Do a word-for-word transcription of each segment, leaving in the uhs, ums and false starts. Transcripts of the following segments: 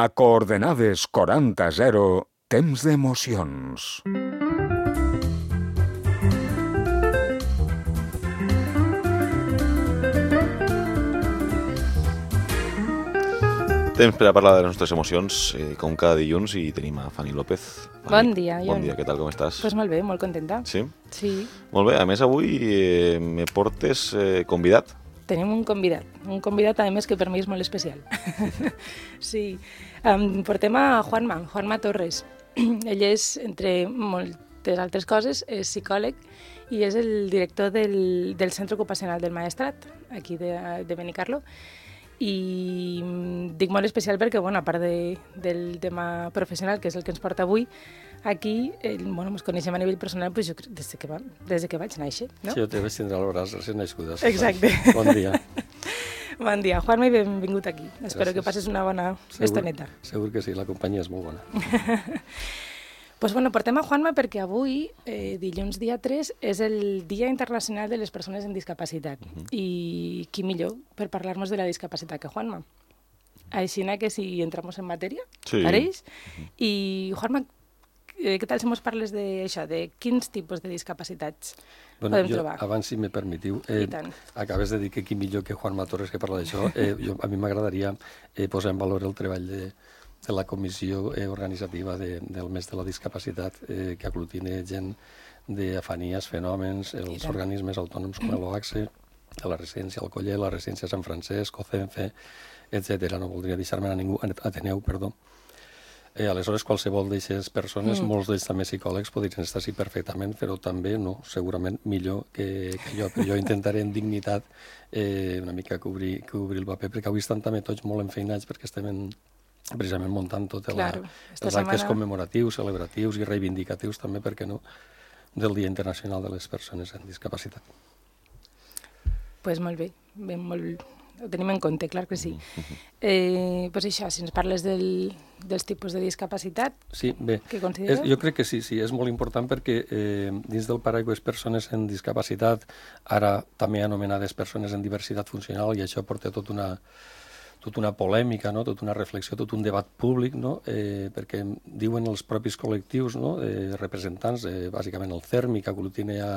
A coordenades quaranta zero, temps d'emocions. Temps per a parlar de les nostres emocions, eh, com cada dilluns, i tenim a Fanny López. Fanny, Bon dia, Bon Jon. dia, què tal, com estàs? Pues molt bé, molt contenta. Sí? Sí, Molt bé, a més avui eh, me portes eh, convidat. tenim un convidat, un convidat a més que per mi és molt especial. Sí, um, portem a Juanma, Juanma Torres. Ell és, entre moltes altres coses, és psicòleg i és el director del, del Centre Ocupacional del Maestrat, aquí de, de Benicarló. I dic molt especial perquè, bueno, a part de, del tema professional, que és el que ens porta avui, aquí, el, bueno, ens coneixem a nivell personal pues jo, des, de que va, des de que vaig néixer, no? Sí, jo te vaig tindre al braç recent nascuda. Exacte. Bon dia. Bon dia, Juanma, i benvingut aquí. Espero Gràcies. que passes una bona Segur, estoneta. segur que sí, la companyia és molt bona. Pues bueno, portem a Juanma perquè avui, eh, dilluns dia tres, és el Dia Internacional de les Persones amb Discapacitat. Uh -huh. I qui millor per parlar-nos de la discapacitat que Juanma. Així que si entramos en matèria, Sí. pareix? Uh -huh. I Juanma, eh, què tal si mos parles d'això, de quins tipus de discapacitats Bueno, podem jo, trobar? abans, si me permetiu, eh, I tant. acabes de dir que qui millor que Juanma Torres que parla d'això, eh, jo, a mi m'agradaria eh, posar en valor el treball de, de la comissió eh, organitzativa de, del mes de la discapacitat, eh, que aglutina gent d'afanies, fenòmens, els tant. organismes autònoms com l'OACSE, de la residència Alcoller, la residència Sant Francesc, OCENFE, etcètera. No voldria deixar-me a ningú, Ateneu, perdó. Eh, aleshores, qualsevol d'aquestes persones, mm. molts d'ells també psicòlegs, podrien estar així perfectament, però també no, segurament millor que, que jo. Però jo intentaré en dignitat eh, una mica cobrir, cobrir el paper, perquè avui estan també tots molt enfeinats perquè estem en, precisament muntant tot Claro, la, esta els actes setmana- commemoratius, celebratius i reivindicatius també, perquè no, del Dia Internacional de les Persones amb Discapacitat. Pues molt bé, ben, molt... ho tenim en compte, clar que sí. Eh, pues això, si ens parles del, dels tipus de discapacitat, Sí, bé, què és, consideres? jo crec que sí, sí, és molt important perquè eh, dins del paraigües persones amb discapacitat, ara també anomenades persones amb diversitat funcional, i això porta tot una, tota una polèmica, no? Tota una reflexió, tot un debat públic, no? eh, perquè diuen els propis col·lectius, no? eh, representants, eh, bàsicament el CERMI, que aglutina a,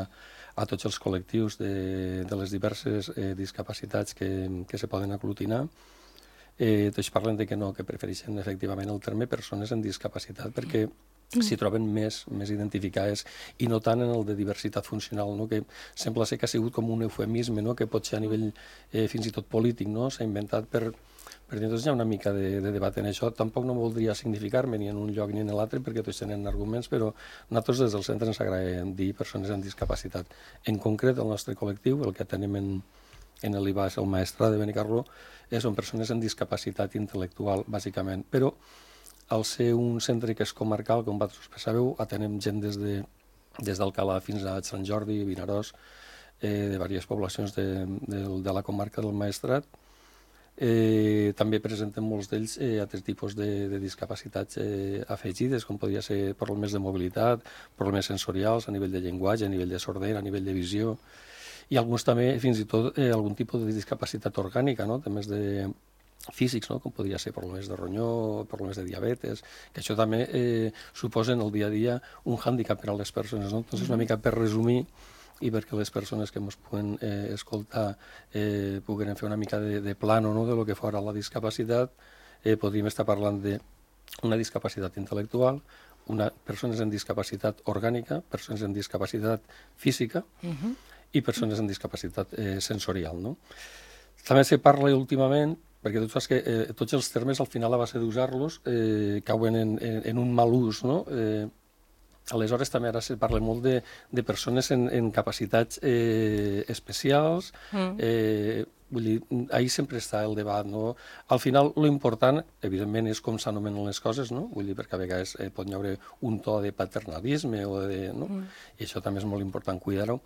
a tots els col·lectius de, de les diverses eh, discapacitats que, que se poden aglutinar, eh, tots parlen de que no, que prefereixen efectivament el terme persones amb discapacitat, perquè s'hi troben més, més identificades, i no tant en el de diversitat funcional, no? Que sembla ser que ha sigut com un eufemisme, no? Que pot ser a nivell eh, fins i tot polític, no? S'ha inventat per... Per tant, hi ha una mica de, de debat en això. Tampoc no voldria significar-me ni en un lloc ni en l'altre, perquè tots tenen arguments, però nosaltres des del centre ens agrada dir persones amb discapacitat. En concret, el nostre col·lectiu, el que tenim en, en l'I B A, és el Maestrat de Benicarló, eh, són persones amb discapacitat intel·lectual, bàsicament. Però, al ser un centre que és comarcal, com vosaltres sabeu, atenem gent des de des d'Alcalà fins a Sant Jordi, Vinaròs, eh, de diverses poblacions de, de, de la comarca del Maestrat. Eh, també presentem molts d'ells eh, altres tipus de, de discapacitats eh, afegides, com podria ser problemes de mobilitat, problemes sensorials a nivell de llenguatge, a nivell de sordera, a nivell de visió, i alguns també fins i tot eh, algun tipus de discapacitat orgànica, no? Temes de físics, no? Com podria ser problemes de ronyó, problemes de diabetes, que això també eh, suposen el dia a dia un hàndicap per a les persones, no? Entonces, una mica per resumir, i perquè les persones que ens puguen eh, escoltar eh, puguen fer una mica de, de plano, no?, de lo que fora la discapacitat, eh, podríem estar parlant d'una discapacitat intel·lectual, una, persones amb discapacitat orgànica, persones amb discapacitat física Uh-huh. i persones amb discapacitat eh, sensorial, no? També se parla últimament, perquè tu saps que eh, tots els termes al final a base d'usar-los eh, cauen en, en, en un mal ús, no? Eh, Aleshores, també ara se parla molt de, de persones en, en capacitats eh, especials. Mm. Eh, vull dir, ahir sempre està el debat, no? Al final, lo important, evidentment, és com s'anomenen les coses, no? Vull dir, perquè a vegades eh, pot hi haver un to de paternalisme o de... No? Mm. I això també és molt important cuidar-ho.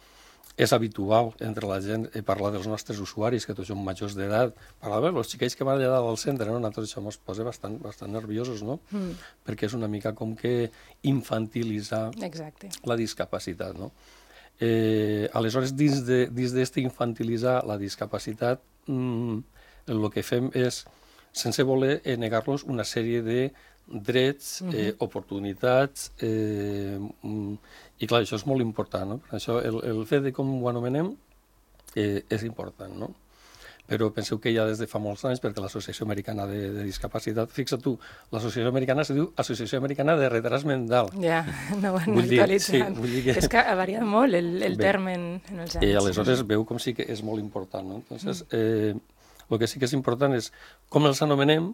És habitual entre la gent eh, parlar dels nostres usuaris, que tots són majors d'edat, parlar de els xiquets que van allà dalt al centre, no? Nosaltres això ens posa bastant, bastant nerviosos, no? Mm. Perquè és una mica com que infantilitzar Exacte. la discapacitat, no? Eh, aleshores, dins de, dins d'este infantilitzar la discapacitat, mm, el que fem és sense voler eh, negar-los una sèrie de drets, eh, oportunitats, eh, mm, i clar, això és molt important, no? Per això el, el fet de com ho anomenem eh, és important, no? Però penseu que ja des de fa molts anys, perquè l'Associació Americana de, de Discapacitat, fixa't tu, l'Associació Americana se diu Associació Americana de Retras Mental. Ja, no ho han Vull dir, sí, actualitzat. vull dir que- És que ha variat molt el, el Bé. terme en, en els anys. I aleshores veu com sí que és molt important, no? Entonces, eh, el que sí que és important és com els anomenem,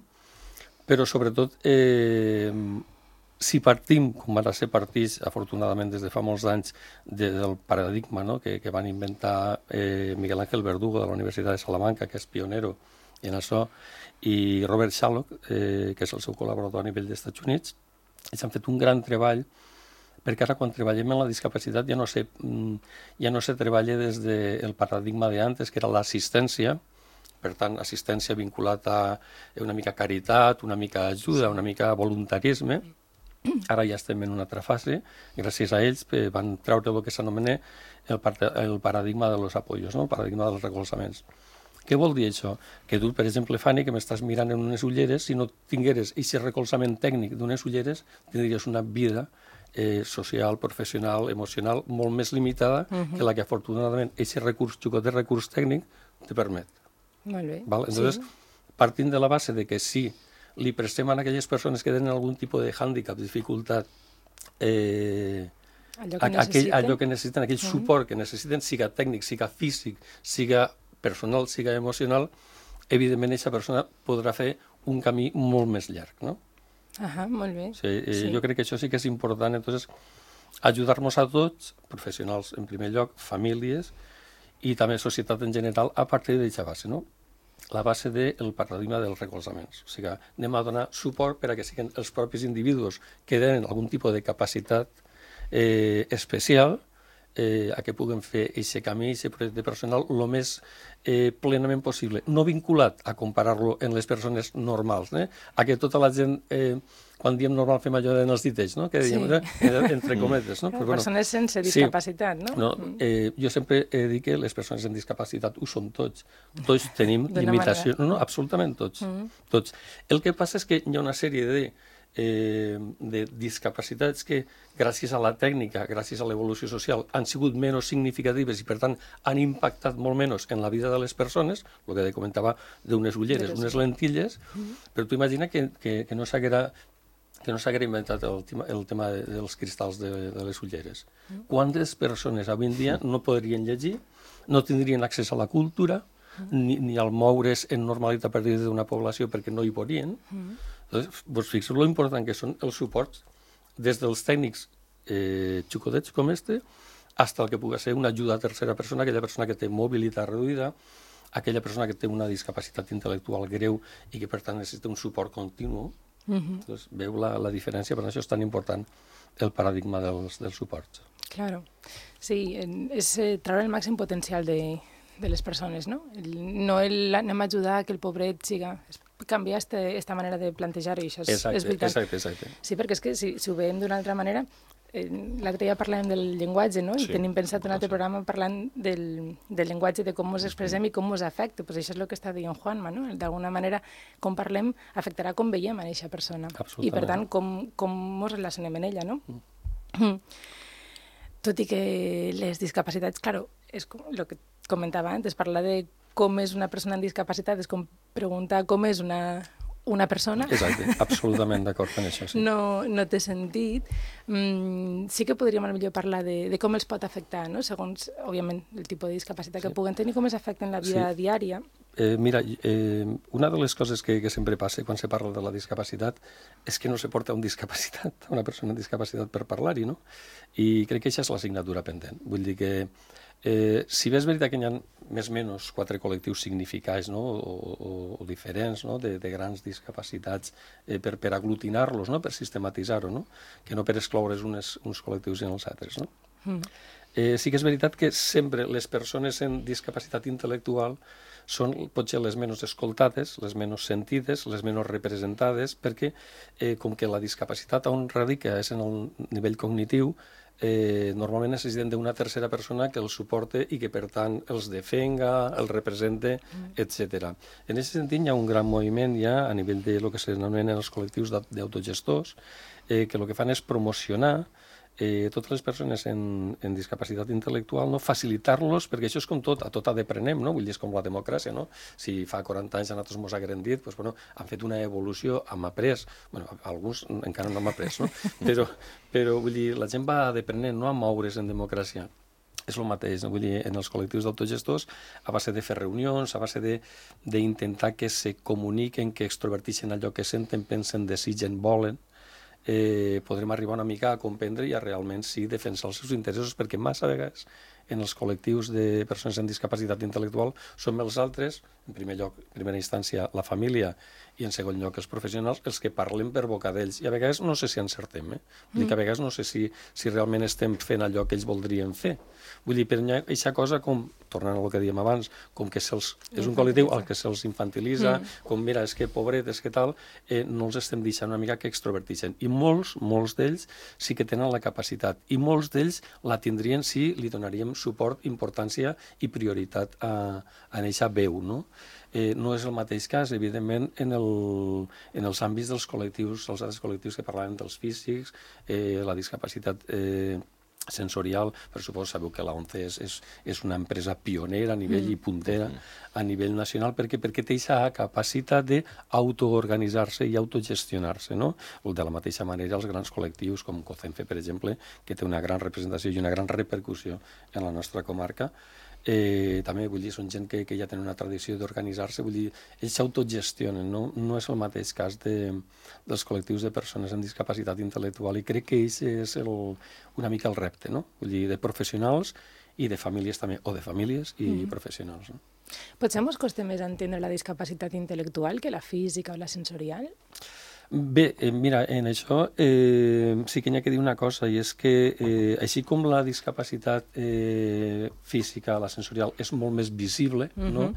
però sobretot eh, si partim, com van ser partits, afortunadament des de fa molts anys, de, del paradigma, no? que, que van inventar eh, Miguel Ángel Verdugo de la Universitat de Salamanca, que és pionero en això, i Robert Shallock, eh, que és el seu col·laborador a nivell dels Estats Units, ells han fet un gran treball, perquè ara quan treballem en la discapacitat ja no se, ja no se treballa des del paradigma d'antes, que era l'assistència, per tant, assistència vinculat a una mica caritat, una mica ajuda, una mica voluntarisme. Ara ja estem en una altra fase, gràcies a ells eh, van treure el que s'anomena el, el paradigma de los apoyos, no? El paradigma dels recolzaments. Què vol dir això? Que tu, per exemple, Fanny, que m'estàs mirant en unes ulleres, si no tingueres aquest recolzament tècnic d'unes ulleres, tindries una vida eh, social, professional, emocional, molt més limitada uh -huh. que la que afortunadament aquest recurs, xicot de recurs tècnic, te permet. Molt bé. Val? Entonces, sí. Partint de la base de que sí, li prestem a aquelles persones que tenen algun tipus de hàndicap, dificultat, eh, allò, que aquell, allò que necessiten, aquell uh -huh. suport que necessiten, siga tècnic, siga físic, siga personal, siga emocional, evidentment aquesta persona podrà fer un camí molt més llarg, no? Ah, molt bé. Sí, eh, sí. Jo crec que això sí que és important, entonces, ajudar-nos a tots, professionals en primer lloc, famílies, i també societat en general, a partir d'aquesta base, no? La base del paradigma dels recolzaments. O sigui, anem a donar suport per a que siguin els propis individus que tenen algun tipus de capacitat eh, especial eh, a que puguen fer aquest camí, aquest projecte personal, el més eh, plenament possible. No vinculat a comparar-lo en les persones normals, eh? A que tota la gent, eh, quan diem normal, fem allò en els ditells, no? Que diem, sí. eh, entre cometes, no? Però, bueno, persones sense discapacitat, sí. no? no eh, jo sempre he dit que les persones amb discapacitat ho són tots. Tots tenim limitacions. No, no, absolutament tots. Mm. tots. El que passa és que hi ha una sèrie de Eh, de discapacitats que gràcies a la tècnica, gràcies a l'evolució social, han sigut menys significatives i per tant han impactat molt menys en la vida de les persones, el que comentava d'unes ulleres, unes lentilles, mm-hmm. però tu imagina que, que, que no s'haguera que no s'haguera inventat el tema, el tema de, dels cristalls de, de les ulleres. Mm. Quantes persones avui en dia no podrien llegir, no tindrien accés a la cultura, mm. ni, ni al moure's en normalitat per dins d'una població perquè no hi podrien. Mm. Entonces, vos fixeu lo important que són els suports des dels tècnics eh, xicotets com este fins al que pugui ser una ajuda a tercera persona, aquella persona que té mobilitat reduïda, aquella persona que té una discapacitat intel·lectual greu i que per tant necessita un suport continu. Mm-hmm. Entonces, veu la, la diferència, per això és tan important el paradigma dels, dels suports. Claro, sí, és eh, treure el màxim potencial de, de les persones, no? El, no el, anem a ajudar a que el pobret siga... canviar aquesta manera de plantejar-ho, i això és, exacte, és veritat. Exacte, exacte. Sí, perquè és que si, si ho veiem d'una altra manera, eh, l'altre dia parlàvem del llenguatge, no? I sí, tenim pensat un altre programa parlant del, del llenguatge, de com ens expressem i com ens afecta. Pues això és el que està dient Juanma, no? D'alguna manera, com parlem, afectarà com veiem a aquesta persona. I, per tant, com, com ens relacionem amb ella, no? Mm. Tot i que les discapacitats, claro, és com el que comentava antes, parlar de com és una persona amb discapacitat és com preguntar com és una, una persona. Exacte, absolutament d'acord amb això, sí. No, no té sentit. Mm, sí que podríem potser parlar de, de com els pot afectar, no? Segons, òbviament, el tipus de discapacitat sí. que puguen tenir, com els afecta en la vida sí. diària. Eh, mira, eh, una de les coses que, que sempre passa quan se parla de la discapacitat és que no se porta un discapacitat, una persona amb discapacitat per parlar-hi, no? I crec que això és l'assignatura pendent. Vull dir que Eh, si bé és veritat que hi ha més o menys quatre col·lectius significats, no? o, o, o diferents, no? de, de grans discapacitats eh, per, per aglutinar-los, no? per sistematitzar-ho, no? que no per excloure's unes, uns col·lectius i els altres. No? Mm. Eh, sí que és veritat que sempre les persones amb discapacitat intel·lectual són potser les menys escoltades, les menys sentides, les menys representades, perquè eh, com que la discapacitat on radica és en el nivell cognitiu, eh, normalment necessiten d'una tercera persona que els suporte i que, per tant, els defenga, els represente, etcètera. En aquest sentit, hi ha un gran moviment ja a nivell de lo que s'anomenen els col·lectius d'autogestors, eh, que el que fan és promocionar Eh, totes les persones en, en discapacitat intel·lectual, no? Facilitar-los, perquè això és com tot, a tot ha d'aprenem, no? Vull dir, és com la democràcia, no? Si fa quaranta anys a nosaltres mos hagueren dit, doncs, bueno, han fet una evolució, hem après, bueno, alguns encara no hem après, no? Però, però vull dir, la gent va d'aprenent, no a moure's en democràcia. És el mateix, no? Vull dir, en els col·lectius d'autogestors, a base de fer reunions, a base d'intentar que se comuniquen, que extrovertixen allò que senten, pensen, desitgen, volen, Eh, podrem arribar una mica a comprendre i a realment sí defensar els seus interessos, perquè massa vegades en els col·lectius de persones amb discapacitat intel·lectual som els altres, en primer lloc, en primera instància, la família, i en segon lloc els professionals, els que parlen per boca d'ells. I a vegades no sé si encertem, eh? Vull dir que a vegades no sé si, si realment estem fent allò que ells voldrien fer. Vull dir, per aquesta cosa, com, tornant al que dèiem abans, com que se'ls, és un col·lectiu al que se'ls infantilitza, mm. com, mira, és que pobret, és que tal, eh, no els estem deixant una mica que extrovertixen. I molts, molts d'ells sí que tenen la capacitat, i molts d'ells la tindrien si li donaríem suport, importància i prioritat a, a eixa veu, no? Eh, no és el mateix cas, evidentment, en, el, en els àmbits dels col·lectius, els altres col·lectius que parlaven dels físics, eh, la discapacitat eh, sensorial. Per suposo, sabeu que la ONCE és, és, és una empresa pionera a nivell mm. i puntera a nivell nacional, perquè, perquè té aquesta capacitat d'autoorganitzar-se i autogestionar-se, no? De la mateixa manera, els grans col·lectius, com COCENFE, per exemple, que té una gran representació i una gran repercussió en la nostra comarca, Eh, també, vull dir, són gent que, que ja tenen una tradició d'organitzar-se, vull dir, ells s'autogestionen, no? No és el mateix cas de, dels col·lectius de persones amb discapacitat intel·lectual, i crec que ells és el, una mica el repte, no? Vull dir, de professionals i de famílies també, o de famílies i mm-hmm. professionals, no? Potser ens costa més entendre la discapacitat intel·lectual que la física o la sensorial? Bé, eh, mira, en això eh, sí que n'hi ha que dir una cosa, i és que eh, així com la discapacitat eh, física, la sensorial, és molt més visible, uh-huh, no?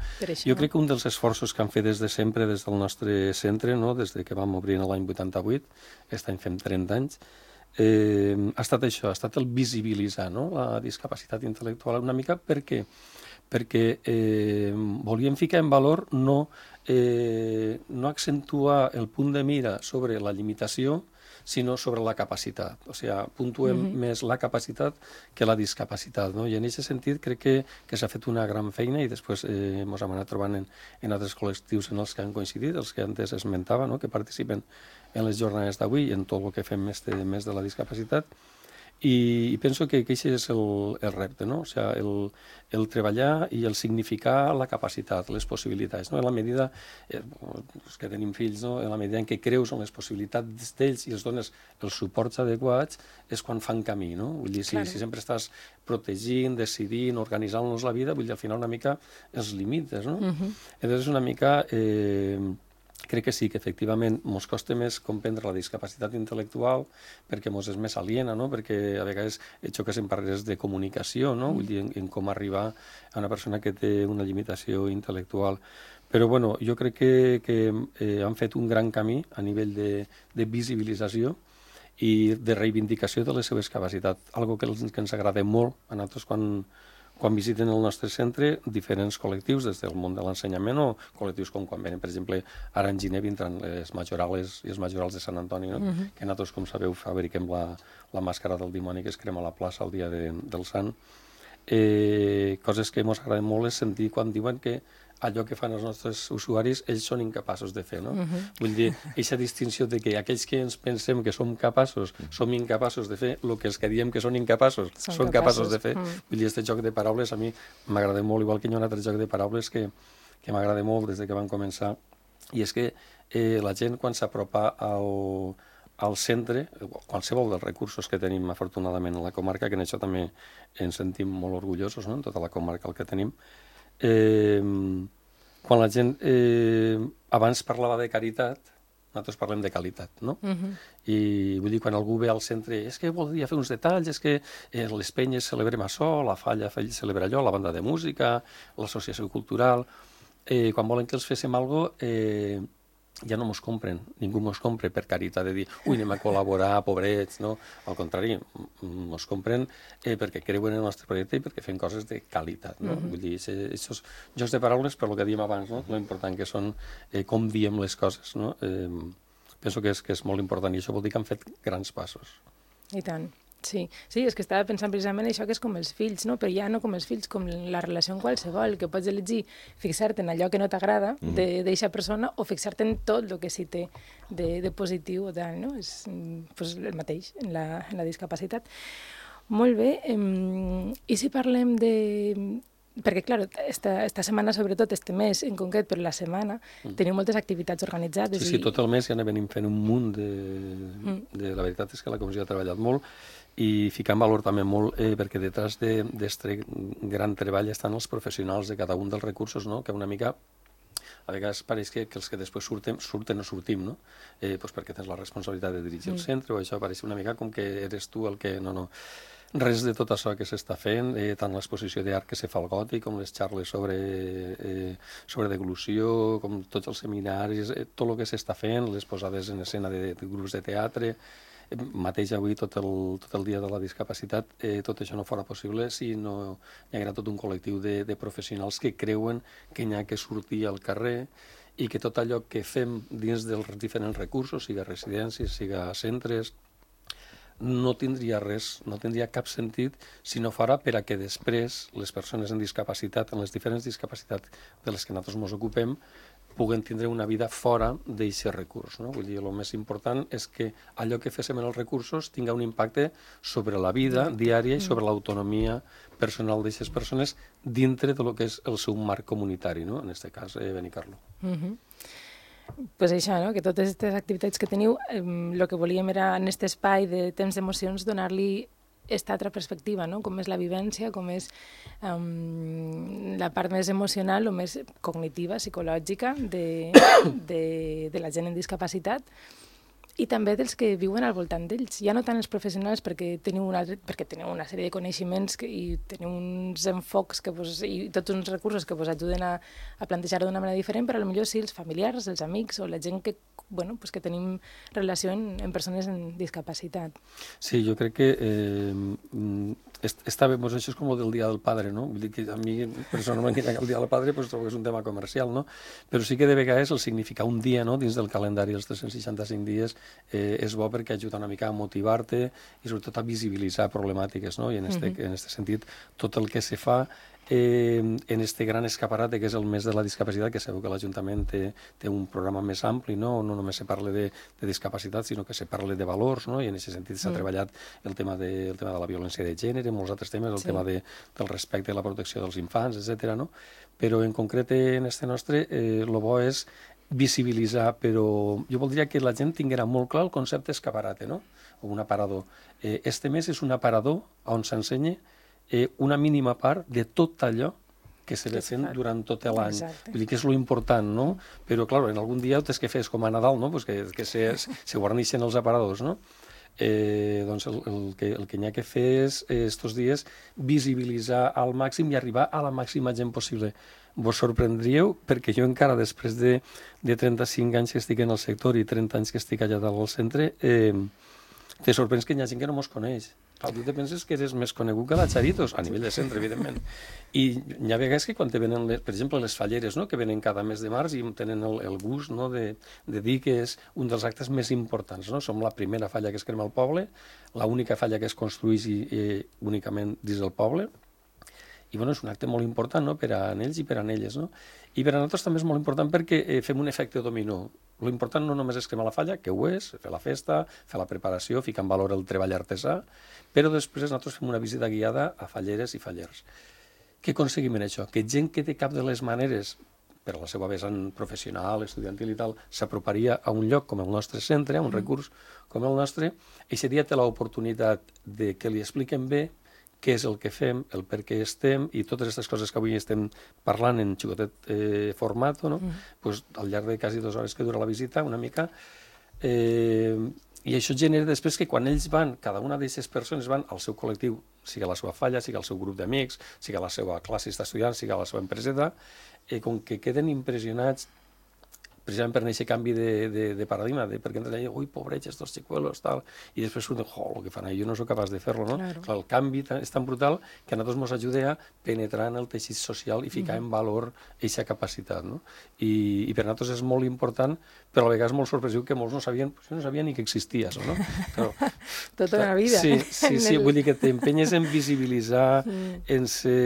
Jo crec que un dels esforços que han fet des de sempre, des del nostre centre, no? Des de que vam obrir l'any vuitanta-vuit, aquest any fem trenta anys, eh, ha estat això, ha estat el visibilitzar, no? La discapacitat intel·lectual una mica, perquè perquè eh, volíem ficar en valor no, eh, no accentuar el punt de mira sobre la limitació, sinó sobre la capacitat. O sigui, puntuem mm-hmm. més la capacitat que la discapacitat, no? I en aquest sentit crec que, que s'ha fet una gran feina, i després eh, ens hem anat trobant en, en altres col·lectius en els que han coincidit, els que antes esmentava, no? Que participen en les jornades d'avui i en tot el que fem este mes de la discapacitat. I penso que aquest és el, el repte, no? O sigui, el, el treballar i el significar la capacitat, les possibilitats, no? En la medida, eh, els que tenim fills, no? En la medida en què creus en les possibilitats d'ells i els dones els suports adequats, és quan fan camí, no? Vull dir, si, claro. si sempre estàs protegint, decidint, organitzant-los la vida, vull dir, al final una mica els limites, no? Uh-huh. Llavors, una mica... Eh, crec que sí, que efectivament ens costa més comprendre la discapacitat intel·lectual perquè ens és més aliena, no? Perquè a vegades xoques en barreres de comunicació, no? Vull dir, en, en com arribar a una persona que té una limitació intel·lectual. Però bueno, jo crec que, que eh, han fet un gran camí a nivell de, de visibilització i de reivindicació de les seves capacitats, algo que, els, que ens agrada molt a nosaltres quan... quan visiten el nostre centre diferents col·lectius des del món de l'ensenyament o col·lectius com quan venen, per exemple, ara en gener vindran les majorales i els majorals de Sant Antoni, no? Uh-huh. Que nosaltres, com sabeu, fabriquem la, la màscara del dimoni que es crema a la plaça el dia de, del Sant. Eh, coses que ens agraden molt és sentir quan diuen que allò que fan els nostres usuaris, ells són incapaços de fer, no? Uh-huh. Vull dir, aquesta distinció de que aquells que ens pensem que som capaços, som incapaços de fer el que els que diem que són incapaços, són, són capaços. capaços de fer. Uh-huh. Vull dir, aquest joc de paraules a mi m'agrada molt, igual que hi ha un altre joc de paraules que, que m'agrada molt des de que van començar, i és que eh, la gent quan s'apropa al, al centre, qualsevol dels recursos que tenim afortunadament a la comarca, que en això també ens sentim molt orgullosos, no? En tota la comarca el que tenim, Eh, quan la gent eh, abans parlava de caritat, nosaltres parlem de qualitat, no? Uh-huh. I vull dir, quan algú ve al centre, és que voldria fer uns detalls, és que eh, les penyes celebrem això, la Falla celebra allò, la banda de música, l'associació cultural, eh, quan volen que els féssim alguna cosa, eh, ja no mos compren, ningú mos compra per caritat de dir, ui, anem a col·laborar, pobrets, no? Al contrari, mos compren eh, perquè creuen en el nostre projecte i perquè fem coses de qualitat, no? Mm-hmm. Vull dir, aquests jocs de paraules, per lo que dèiem abans, no? Lo important que són eh, com diem les coses, no? Eh, penso que és, que és molt important i això vol dir que han fet grans passos. I tant. Sí, sí, és que estava pensant precisament això que és com els fills, no? Però ja no com els fills, com la relació en qualsevol, que pots elegir fixar-te en allò que no t'agrada mm. d'eixa persona o fixar-te en tot el que sí té de, de positiu o tal, no? És pues, el mateix en la, en la discapacitat. Molt bé, um, i si parlem de... Perquè, clar, esta, esta setmana, sobretot, este mes en concret, però la setmana, mm. teniu moltes activitats organitzades. Sí, sí, tot el mes ja anem fent un munt de... Mm. de... La veritat és que la comissió ha treballat molt i ficar en valor també molt, eh, perquè detrás d'aquest de, gran treball estan els professionals de cada un dels recursos, no? Que una mica a vegades pareix que, que els que després surten, surten o sortim, no? Eh, pues perquè tens la responsabilitat de dirigir mm. el centre o això pareix una mica com que eres tu el que... No, no. Res de tot això que s'està fent, eh, tant l'exposició d'art que se fa al Gòtic, com les xarles sobre, eh, sobre deglució, com tots els seminaris, eh, tot el que s'està fent, les posades en escena de, de grups de teatre, eh, mateix avui tot el, tot el dia de la discapacitat, eh, tot això no fora possible si no hi haguera tot un col·lectiu de, de professionals que creuen que n'hi ha que sortir al carrer i que tot allò que fem dins dels diferents recursos, siga residències, siga centres, no tindria res, no tindria cap sentit si no fora per a que després les persones amb discapacitat, en les diferents discapacitats de les que nosaltres ens ocupem, puguen tindre una vida fora d'aquest recurs, no? Vull dir, el més important és que allò que féssim en els recursos tinga un impacte sobre la vida diària i sobre l'autonomia personal d'aquestes persones dintre de lo que és el seu marc comunitari, no? En aquest cas, eh, Benicarló. Mm-hmm. Pues això, no? Que totes aquestes activitats que teniu, el eh, que volíem era en aquest espai de temps d'emocions donar-li aquesta altra perspectiva, no? Com és la vivència, com és um, la part més emocional o més cognitiva, psicològica de, de, de la gent amb discapacitat i també dels que viuen al voltant d'ells. Ja no tant els professionals perquè teniu una, perquè teniu una sèrie de coneixements que, i teniu uns enfocs que vos, i tots uns recursos que vos ajuden a, a plantejar-ho d'una manera diferent, però potser sí els familiars, els amics o la gent que, bueno, pues que tenim relació en, en persones amb discapacitat. Sí, jo crec que eh, està bé, doncs això és com el del Dia del Padre, no? Vull dir que a mi personalment que el Dia del Padre pues, trobo que és un tema comercial, no? Però sí que de vegades el significar un dia, no? Dins del calendari dels tres-cents seixanta-cinc dies eh, és bo perquè ajuda una mica a motivar-te i sobretot a visibilitzar problemàtiques, no? I en este, uh-huh. en este sentit tot el que se fa eh, en este gran escaparate que és el mes de la discapacitat, que sabeu que l'Ajuntament té, té un programa més ampli, no? No només se parla de, de discapacitat, sinó que se parla de valors, no? I en aquest sentit s'ha uh-huh. treballat el tema, de, el tema de la violència de gènere, molts altres temes, el sí. tema de, del respecte i la protecció dels infants, etcètera, no? Però en concret en este nostre, el eh, bo és visibilitzar, però jo voldria que la gent tinguera molt clar el concepte escaparate, no? O un aparador. Eh, este mes és un aparador on s'ensenya eh, una mínima part de tot allò que se ve fent durant tot l'any. Vull dir que és lo important, no? Però, clar, en algun dia ho tens que fer com a Nadal, no? Pues que, que se, se guarneixen els aparadors, no? Eh, doncs el, el que, el que n'hi ha que fer és, estos dies, visibilitzar al màxim i arribar a la màxima gent possible. Vos sorprendríeu perquè jo encara després de, de trenta-cinc anys que estic en el sector i trenta anys que estic allà dalt al centre, eh, te sorprens que hi ha gent que no mos coneix. Clar, tu te penses que eres més conegut que la Charitos, a nivell de centre, evidentment. I hi ha vegades que quan te venen, les, per exemple, les falleres, no?, que venen cada mes de març i tenen el, el gust, no?, de, de dir que és un dels actes més importants, no? Som la primera falla que es crema al poble, l'única falla que es construeix i, i, únicament dins del poble, i bueno, és un acte molt important, no?, per a ells i per a elles, no? I per a nosaltres també és molt important perquè eh, fem un efecte dominó. Lo important no només és cremar la falla, que ho és, fer la festa, fer la preparació, ficar en valor el treball artesà, però després nosaltres fem una visita guiada a falleres i fallers. Què aconseguim en això? Que gent que de cap de les maneres, per a la seva vessant professional, estudiantil i tal, s'aproparia a un lloc com el nostre centre, a un recurs com el nostre, aquest dia té l'oportunitat de que li expliquem bé què és el que fem, el per què estem, i totes aquestes coses que avui estem parlant en xicotet eh, format, no? Mm. Pues, al llarg de quasi dues hores que dura la visita, una mica, eh, i això genera després que quan ells van, cada una d'aquestes persones van al seu col·lectiu, sigui la seva falla, sigui el seu grup d'amics, sigui la seva classe d'estudiants, sigui la seva empreseta, eh, com que queden impressionats precisament per aquest canvi de, de, de paradigma, de, perquè ens deia, ui, pobrets, estos xicuelos, tal, i després surten, jo, el que fan, jo no sóc capaç de fer-lo, no? Claro. Clar, el canvi és tan brutal que a nosaltres ens ajuda a penetrar en el teixit social i ficar mm-hmm. en valor aquesta capacitat, no? I, i per nosaltres és molt important, però a vegades molt sorpresiu que molts no sabien, jo no sabia ni que existia això, no? Però, tota una vida. Sí, sí, sí, el... vull dir que t'empenyes en visibilitzar, mm. en, ser,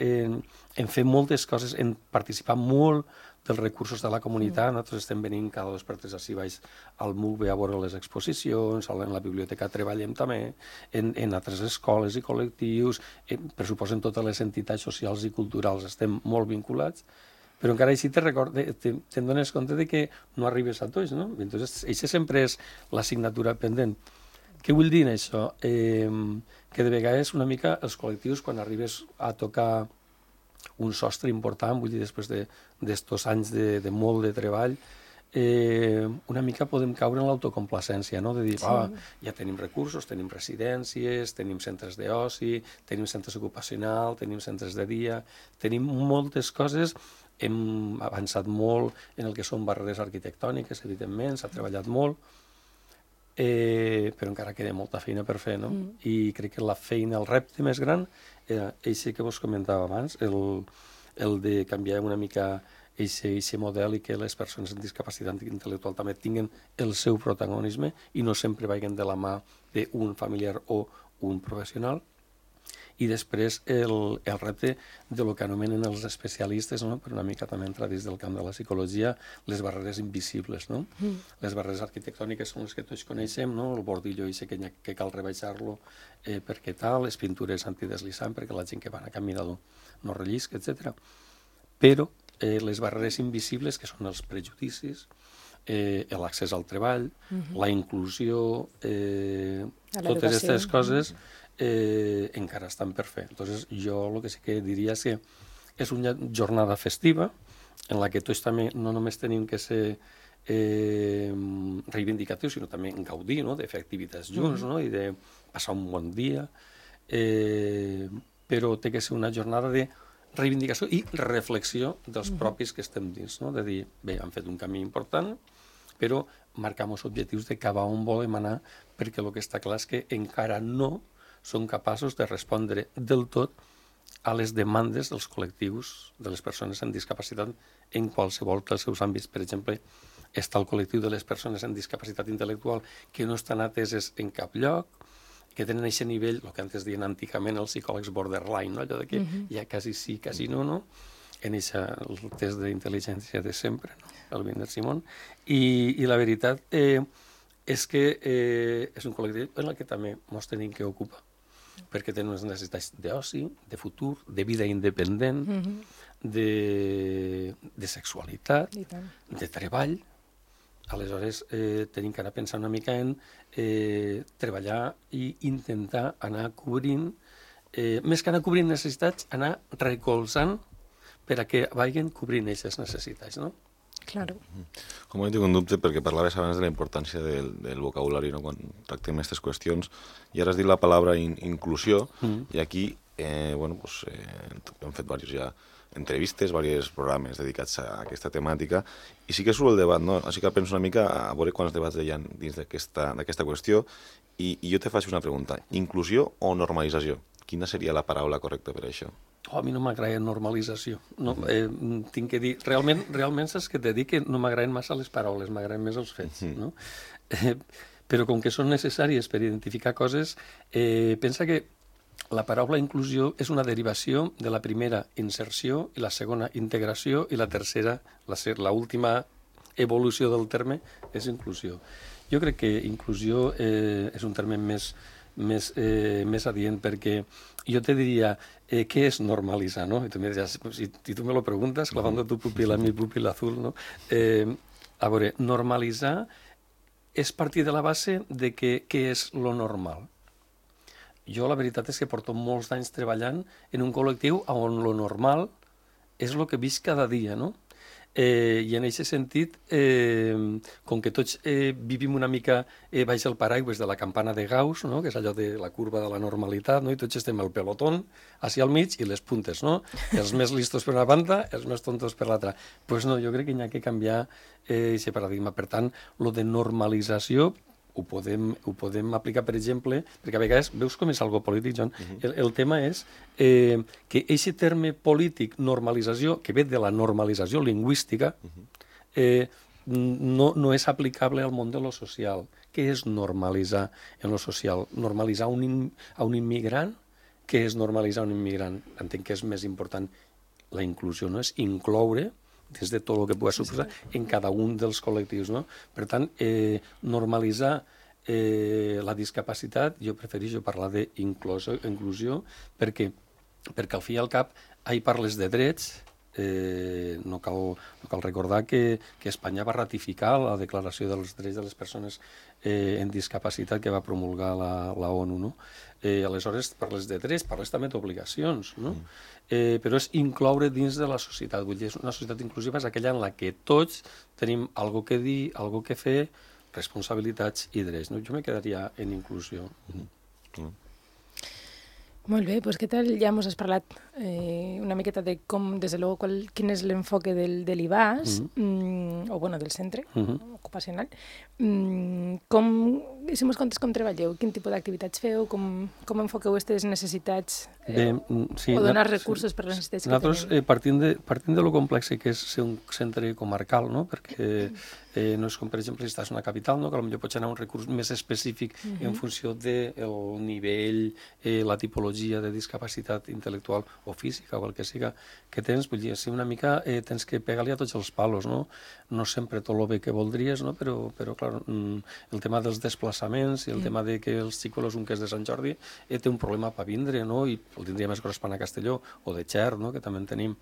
en, en fer moltes coses, en participar molt dels recursos de la comunitat. Nosaltres estem venint cada dos per tres així baix al M U C B a veure les exposicions, en la biblioteca treballem també, en, en altres escoles i col·lectius, en, per suposo en totes les entitats socials i culturals estem molt vinculats, però encara així te recordes, te, te'n dones compte de que no arribes a tots, no? Entonces, això sempre és l'assignatura pendent. Què vull dir en això? Eh, que de vegades una mica els col·lectius, quan arribes a tocar un sostre important, vull dir, després d'estos de, anys de, de molt de treball, eh, una mica podem caure en l'autocomplacència, no? De dir, sí. ah, ja tenim recursos, tenim residències, tenim centres d'oci, tenim centres ocupacionals, tenim centres de dia, tenim moltes coses, hem avançat molt en el que són barreres arquitectòniques, evidentment, s'ha treballat molt, eh, però encara queda molta feina per fer, no? Mm. I crec que la feina, el repte més gran, era això que vos comentava abans, el, el de canviar una mica aquest model i que les persones amb discapacitat intel·lectual també tinguin el seu protagonisme i no sempre vagin de la mà d'un familiar o un professional. I després el, el repte de lo que anomenen els especialistes, no? Per una mica també entrar dins del camp de la psicologia, les barreres invisibles, no? Mm. Les barreres arquitectòniques són les que tots coneixem, no? El bordillo i que, que cal rebaixar-lo eh, perquè tal, les pintures antideslissant perquè la gent que va a caminar no rellisca, etcètera. Però eh, les barreres invisibles, que són els prejudicis, eh, l'accés al treball, mm-hmm. la inclusió, eh, totes aquestes coses, Eh, encara estan per fer. Entonces, jo el que sí que diria és que és una jornada festiva en la que tots també no només tenim que ser eh, reivindicatius, sinó també gaudir, no? De fer activitats junts, no? I de passar un bon dia, eh, però té que ser una jornada de reivindicació i reflexió dels propis que estem dins, no? De dir, bé, han fet un camí important, però marcam els objectius de cap a on volem anar, perquè el que està clar és que encara no són capaços de respondre del tot a les demandes dels col·lectius de les persones amb discapacitat en qualsevol dels seus àmbits. Per exemple, està el col·lectiu de les persones amb discapacitat intel·lectual que no estan ateses en cap lloc, que tenen aquest nivell, el que antes diuen antigament els psicòlegs borderline, no? Allò de que uh-huh. ja quasi sí, quasi no, no? En eixa, el test d'intel·ligència de sempre, no? El Wiener Simon. I, i la veritat eh, és que eh, és un col·lectiu en el que també ens tenim que ocupar, perquè tenen unes necessitats d'oci, de futur, de vida independent, mm-hmm. de, de sexualitat, de treball. Aleshores, eh, tenim que anar pensant una mica en eh, treballar i intentar anar cobrint, eh, més que anar cobrint necessitats, anar recolzant per a que vagin cobrint aquestes necessitats, no? Claro. Com ho tinc un dubte, perquè parlaves abans de la importància del, del vocabulari, no? Quan tractem aquestes qüestions, i ara has dit la paraula in, inclusió, mm. i aquí eh, bueno, pues, eh, hem fet diversos ja entrevistes, diversos programes dedicats a aquesta temàtica, i sí que surt el debat, no? Així que penso una mica a veure quants debats hi ha dins d'aquesta qüestió, i, i jo te faig una pregunta. Inclusió o normalització? Quina seria la paraula correcta per a això? Oh, a mi no m'agrada normalització. No, eh, tinc que dir, realment, realment saps que t'he dit que no m'agraden massa les paraules, m'agraden més els fets, no? Eh, però com que són necessàries per identificar coses, eh, pensa que la paraula inclusió és una derivació de la primera inserció i la segona integració i la tercera, la, la última evolució del terme és inclusió. Jo crec que inclusió eh, és un terme més més, eh, més adient, perquè jo te diria, eh, què és normalitzar, no? I tu, diries, si, si tu me lo preguntes, clavando tu pupila en mi pupila azul, no? Eh, a veure, normalitzar és partir de la base de que, què és lo normal. Jo la veritat és que porto molts anys treballant en un col·lectiu on lo normal és el que visc cada dia, no? Eh, I en aquest sentit, eh, com que tots eh, vivim una mica eh, baix el paraigües de la campana de Gauss, no? Que és allò de la curva de la normalitat, no? I tots estem al pelotón, així al mig, i les puntes, no? Els més listos per una banda, els més tontos per l'altra. Doncs pues no, jo crec que hi ha que canviar aquest eh, paradigma. Per tant, lo de normalització ho podem, ho podem aplicar, per exemple, perquè a vegades veus com és algo polític, John. Uh-huh. el, el tema és eh, que aquest terme polític, normalització, que ve de la normalització lingüística, uh-huh. eh, no, no és aplicable al món de lo social. Què és normalitzar en lo social? Normalitzar un in, a un immigrant? Què és normalitzar un immigrant? Entenc que és més important la inclusió, no? És incloure des de tot el que pugui suposar en cada un dels col·lectius, no? Per tant, eh, normalitzar eh, la discapacitat, jo prefereixo parlar d'inclusió, perquè, perquè al fi i al cap, ahir parles de drets, eh, no, cal, no cal recordar que, que Espanya va ratificar la Declaració dels Drets de les Persones eh, en Discapacitat que va promulgar la, la ONU, no? Eh, aleshores, parles de drets, parles també d'obligacions, no? Mm. Eh, però és incloure dins de la societat. Vull dir, una societat inclusiva és aquella en la que tots tenim algo que dir, algo que fer, responsabilitats i drets. No? Jo me quedaria en inclusió. Mm. Mm. Molt bé, doncs què tal? Ja ens has parlat eh, una miqueta de com, des de luego, qual, quin és l'enfoque del, de l'I B A S, mm-hmm. mm, o bueno, del centre mm-hmm. ocupacional. Mm, com, si mos contes com treballeu, quin tipus d'activitats feu, com, com enfoqueu aquestes necessitats eh, Bé, sí, o donar no, recursos sí. per les necessitats Nosaltres, que tenim? Eh, partint, de, partint de lo complex que és ser un centre comarcal, no? Perquè eh, no és com, per exemple, si estàs en una capital, no? Que potser pots anar a un recurs més específic mm-hmm. en funció del de nivell, eh, la tipologia de discapacitat intel·lectual o física o el que siga que tens. Vull dir, si una mica eh, tens que pegar-li a tots els palos, no? No sempre tot el bé que voldries, no? Però, però clar, el tema dels desplaçaments i el mm. tema de que els xicolos, un que és de Sant Jordi, eh, té un problema per vindre, no? I el tindria més gros per anar a Castelló, o de Xert, no? Que també en tenim.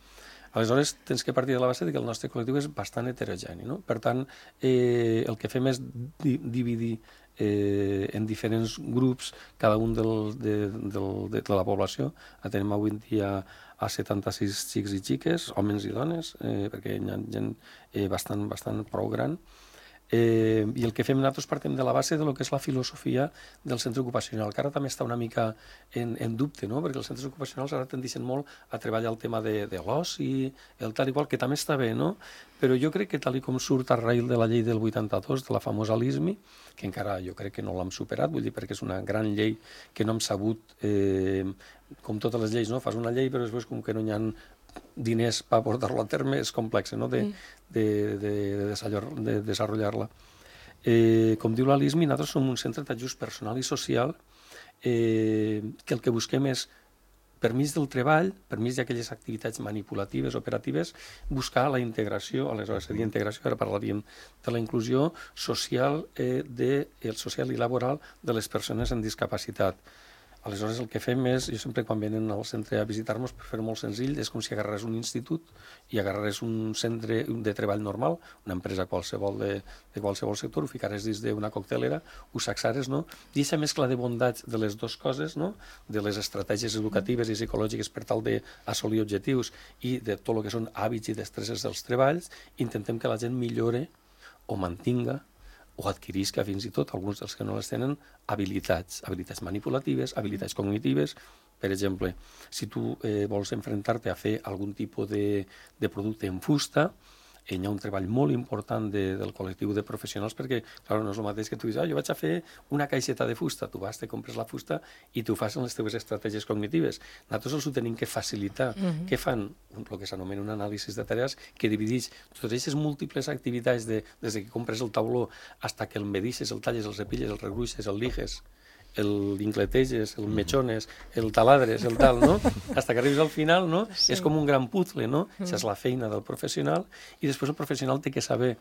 Aleshores, tens que partir de la base de que el nostre col·lectiu és bastant heterogeni, no? Per tant, eh, el que fem és di dividir eh, en diferents grups cada un del, de, del, de, de la població. Tenim avui en dia a setanta-sis xics i xiques, homes i dones, eh, perquè hi ha gent eh, bastant, bastant prou gran. Eh, I el que fem nosaltres partim de la base de lo que és la filosofia del centre ocupacional, que ara també està una mica en, en dubte, no? Perquè els centres ocupacionals ara tendeixen molt a treballar el tema de, de l'oci, el tal i qual, que també està bé, no? Però jo crec que tal i com surt a raïl de la llei del vuitanta-dos, de la famosa L I S M I, que encara jo crec que no l'hem superat, vull dir, perquè és una gran llei que no hem sabut, eh, com totes les lleis, no? Fas una llei però després com que no hi ha diners per portar-lo a terme, és complex, no? de, de, de, de, de desenvolupar-la. Eh, com diu la L I S M I, nosaltres som un centre d'ajust personal i social eh, que el que busquem és, per mig del treball, per mig d'aquelles activitats manipulatives, operatives, buscar la integració, aleshores seria integració, ara parlaríem de la inclusió social, eh, de, el social i laboral de les persones amb discapacitat. Aleshores, el que fem és, jo sempre quan venen al centre a visitar-nos, per fer molt senzill, és com si agarrés un institut i agarrés un centre de treball normal, una empresa qualsevol de, de qualsevol sector, ho ficares dins d'una coctelera, ho saxares, no? I aquesta mescla de bondats de les dues coses, no? De les estratègies educatives i psicològiques per tal d'assolir objectius i de tot el que són hàbits i destreses dels treballs, intentem que la gent millore o mantinga o adquirisca fins i tot, alguns dels que no les tenen, habilitats, habilitats manipulatives, habilitats cognitives. Per exemple, si tu eh, vols enfrontar-te a fer algun tipus de, de producte en fusta, hi ha un treball molt important de, del col·lectiu de professionals perquè, clar, no és el mateix que tu dius, ah, jo vaig a fer una caixeta de fusta, tu vas, te compres la fusta i tu fas les teves estratègies cognitives. Nosaltres els ho tenim que facilitar. Uh-huh. Què fan? El que s'anomena un anàlisi de tarees que divideix totes aquestes múltiples activitats de, des que compres el tauló fins que el medixes, el talles, el cepilles, el regruixes, el liges, l'incleteges, el mechones, el taladres, el tal, no? Hasta que arribes al final, no? Sí. És com un gran puzzle, no? Mm. Això és la feina del professional i després el professional té que saber,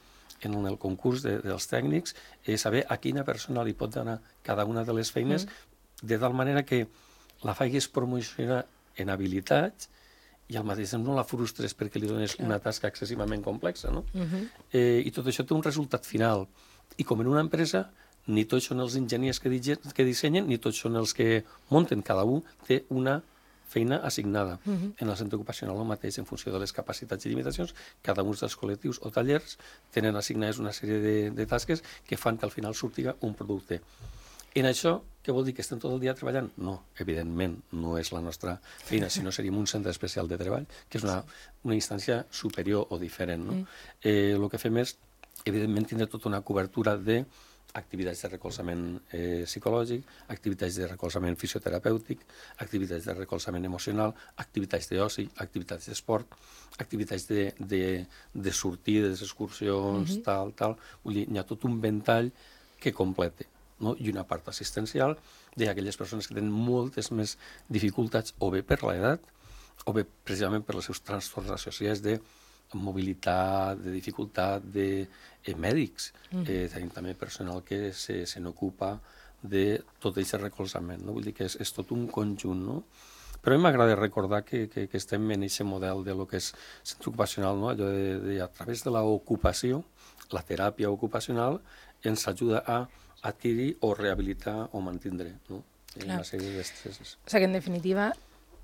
en el concurs de, dels tècnics, eh, saber a quina persona li pot donar cada una de les feines mm. de tal manera que la faigues promocionar en habilitats i al mateix temps no la frustres perquè li dones Clar. Una tasca excessivament complexa, no? Mm-hmm. eh, I tot això té un resultat final. I com en una empresa, ni tots són els enginyers que, que dissenyen, ni tots són els que munten. Cada un té una feina assignada. Uh-huh. En el centre ocupacional el mateix, en funció de les capacitats i limitacions, cada un dels col·lectius o tallers tenen assignades una sèrie de, de tasques que fan que al final surtiga un producte. En això, què vol dir? Que estem tot el dia treballant? No, evidentment, no és la nostra feina, sinó seríem un centre especial de treball, que és una, una instància superior o diferent. No? Mm. Eh, el que fem és, evidentment, tindre tota una cobertura de activitats de recolzament eh, psicològic, activitats de recolzament fisioterapèutic, activitats de recolzament emocional, activitats d'oci, activitats d'esport, activitats de, de, de sortides, excursions, mm-hmm. tal, tal. Vull dir, hi ha tot un ventall que complete, no? I una part assistencial d'aquelles persones que tenen moltes més dificultats, o bé per l'edat, o bé precisament per els seus trastorns associats de mobilitat, de dificultat, de eh, mèdics. Mm. Eh, tenim també personal que se, se n'ocupa de tot aquest recolzament. No? Vull dir que és, és tot un conjunt, no? Però a mi m'agrada recordar que, que, que estem en aquest model de lo que és centre ocupacional, no? Allò de, de, a través de l'ocupació, la teràpia ocupacional ens ajuda a adquirir o rehabilitar o mantindre, no? Una sèrie d'estresses. O sigui que, en definitiva,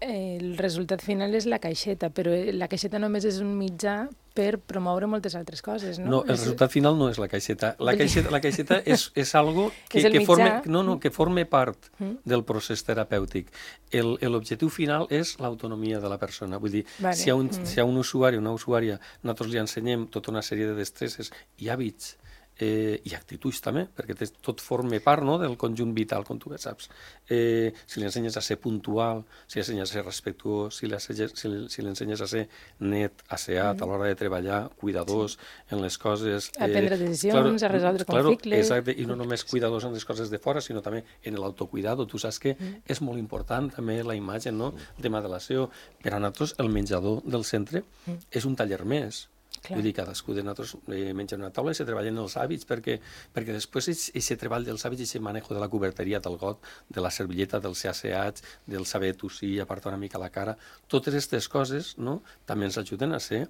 eh, el resultat final és la caixeta, però la caixeta només és un mitjà per promoure moltes altres coses, no? No, el resultat final no és la caixeta. La caixeta, la caixeta és, és algo que, és que, forme, no, no, que forme part mm. del procés terapèutic. L'objectiu final és l'autonomia de la persona. Vull dir, vale. si, hi ha un, mm. si hi ha un usuari o una usuària, nosaltres li ensenyem tota una sèrie de destreses i hàbits, Eh, i actituds també, perquè tot forma part, no?, del conjunt vital, com tu bé saps. Eh, si li ensenyes a ser puntual, si li ensenyes a ser respectuós, si li ensenyes, si li, si li ensenyes a ser net, asseat, mm. a l'hora de treballar, cuidadós sí. en les coses... A prendre eh, decisions, claro, a resoldre claro, conflictes... Exacte, i no només cuidadós en les coses de fora, sinó també en l'autocuidado. Tu saps que mm. és molt important també la imatge, no?, de modelació. Per a nosaltres, el menjador del centre mm. és un taller més. Clar. Vull dir, cadascú de nosaltres eh, menja una taula i se treballen els hàbits, perquè, perquè després aquest treball dels hàbits, aquest manejo de la coberteria, del got, de la servilleta, dels ser asseats, del saber tossir, apartar una mica la cara, totes aquestes coses, no?, també ens ajuden a ser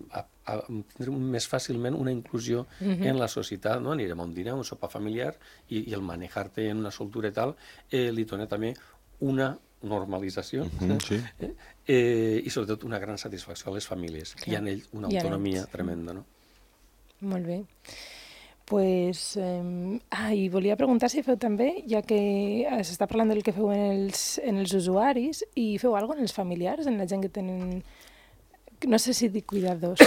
a, a tindre més fàcilment una inclusió uh-huh. en la societat, no? Anirem a un dinar, un sopar familiar, i, i el manejar-te en una soltura i tal, eh, li dona també una normalització uh-huh, sí. eh, eh, i sobretot una gran satisfacció a les famílies. Clar. I en ells una autonomia ells. tremenda, no? Molt bé. Pues, eh, ah, i volia preguntar si feu també, ja que s'està parlant del que feu en els, en els usuaris, i feu alguna cosa en els familiars, en la gent que tenen... No sé si dic cuidadors,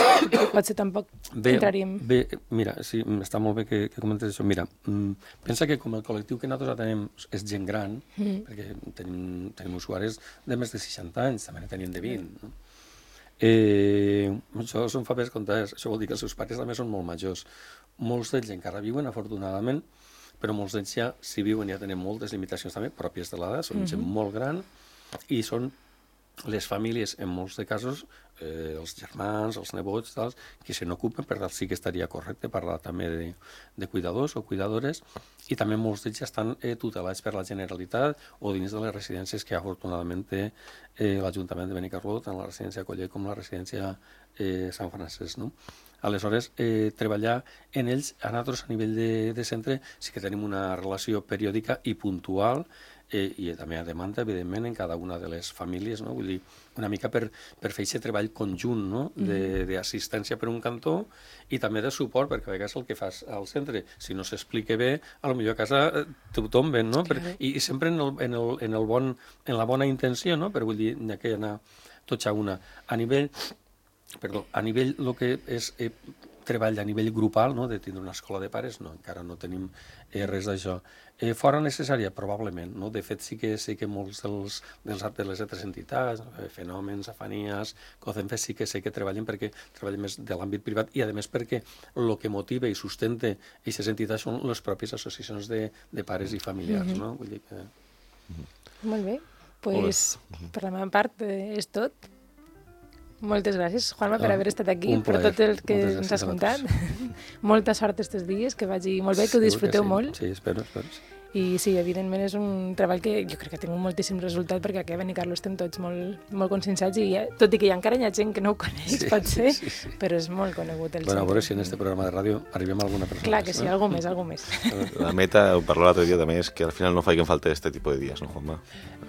potser tampoc bé, entraríem... Bé, mira, sí, està molt bé que, que comentes això. Mira, mm, pensa que com el col·lectiu que nosaltres tenim és gent gran, mm. perquè tenim, tenim usuaris de més de seixanta anys, també ne tenim de vint, no? Eh, això són fabers comptades, això vol dir que els seus pares també són molt majors. Molts d'ells encara viuen, afortunadament, però molts d'ells ja, si viuen, ja tenen moltes limitacions també pròpies de l'edat, són mm-hmm. gent molt gran, i són les famílies, en molts de casos, eh, els germans, els nebots, tals, que se n'ocupen, per tant sí que estaria correcte parlar també de, de cuidadors o cuidadores, i també molts d'ells estan eh, tutelats per la Generalitat o dins de les residències que afortunadament té eh, l'Ajuntament de Benicarló, tant la residència Coller com la residència eh, Sant Francesc, no? Aleshores, eh, treballar en ells, a nosaltres a nivell de, de centre, sí que tenim una relació periòdica i puntual, eh, i també a demanda, evidentment, en cada una de les famílies, no? Vull dir, una mica per, per fer aquest treball conjunt, no?, d'assistència per un cantó i també de suport, perquè a vegades el que fas al centre, si no s'explica bé, a lo millor a casa tothom ven, no? Per, i, I sempre en, el, en, el, en, el bon, en la bona intenció, no?, però vull dir, hi ha que anar tots a una. A nivell, perdó, a nivell el que és eh, treball a nivell grupal, no?, de tindre una escola de pares, no, encara no tenim eh, res d'això. Eh, fora necessària, probablement, no? De fet, sí que sé que molts dels, dels de les altres entitats, eh, Fenòmens, Afanies, Cocemfe, sí que sé que treballen perquè treballen més de l'àmbit privat i, a més, perquè el que motiva i sustenta aquestes entitats són les pròpies associacions de, de pares i familiars, mm-hmm. no? Vull dir que... Mm-hmm. Molt bé. Pues, mm-hmm. per la meva part, eh, és tot. Moltes gràcies, Juanma, per haver estat aquí, per tot el que ens has contat. Molta sort aquests dies, que vagi molt bé, que ho disfruteu que sí. molt. Sí, espero, espero. I sí, evidentment és un treball que jo crec que ha tingut moltíssim resultat perquè a Kevin i Carlos estem tots molt, molt conscienciats i ja, tot i que hi ha encara hi ha gent que no ho coneix, Sí, pot ser, sí, sí. però és molt conegut el Bueno, a centre. veure si en este programa de ràdio arribem a alguna persona. Clar que sí, no? algú més, algú més. La meta, ho parlò l'altre dia també, és que al final no faiguen falta este tipus de dies, no, Juanma?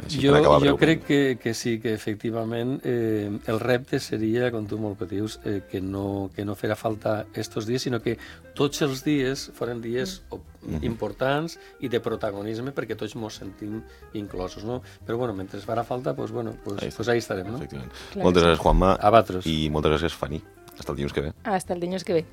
Així Jo, per acabar jo breument. crec que, que sí, que efectivament eh, el repte seria, com tu molt bé dius, eh, que, no, que no farà falta estos dies, sinó que tots els dies foren dies mm. importants i de protagonisme perquè tots ens sentim inclosos, no? Però bueno, mentre farà falta, pues, bueno, pues, Ahí, pues ahí estarem, no? Efectivament. Clar Moltes que sí. gràcies, Juanma. A vosaltres. I moltes gràcies, Fanny. Hasta el dilluns que ve. Hasta el dilluns que ve.